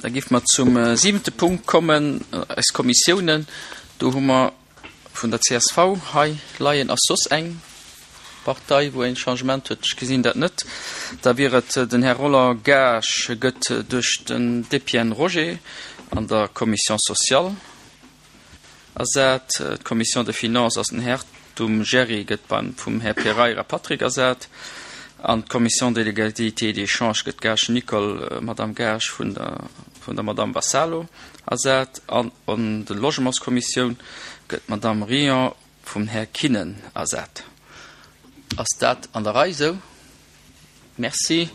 Da géife mer zum siwente Punkt kommen, eis Kommissiounen. Do hu mer vun der csv hei leien. Ass soss eng Partei, wou een Changement huet? Ech gesinn dat net. Da wier et den Här Roland Gaasch gëtt duerch den Depienne Roger an der Commission sociale ersat. D'Commission des Finances ass den Här Thum Jerry, gëtt beim vum Här Pereira Patrick ersat. An d'Commission de l'égalité et des chances gëtt d'Gaasch Nicole, Madame Gaasch, vun der vun der Madame Vassalo ersat. An an de Logementskommissioun gëtt d'Madame Rion vum Här Kinnen ersat. Ass dat an der Rei esou? Merci.